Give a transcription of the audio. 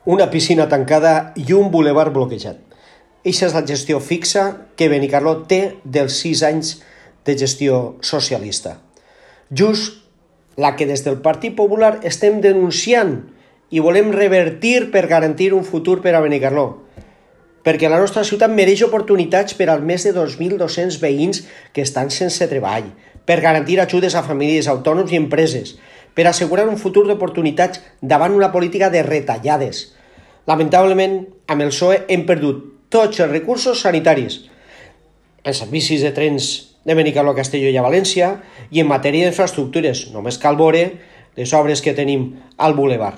una piscina tancada i un bulevard bloquejat. Eixa és la gestió fixa que Benicarló té dels 6 anys de gestió socialista. Just la que des del Partit Popular estem denunciant i volem revertir per garantir un futur per a Benicarló. Perquè la nostra ciutat mereix oportunitats per als més de 2.200 veïns que estan sense treball, per garantir ajudes a famílies, autònoms i empreses, per assegurar un futur d'oportunitats davant una política de retallades. Lamentablement, amb el PSOE hem perdut tots els recursos sanitaris, en servicis de trens de Benicarló a Castelló i a València i en matèria d'infraestructures. Només cal veure les obres que tenim al bulevard.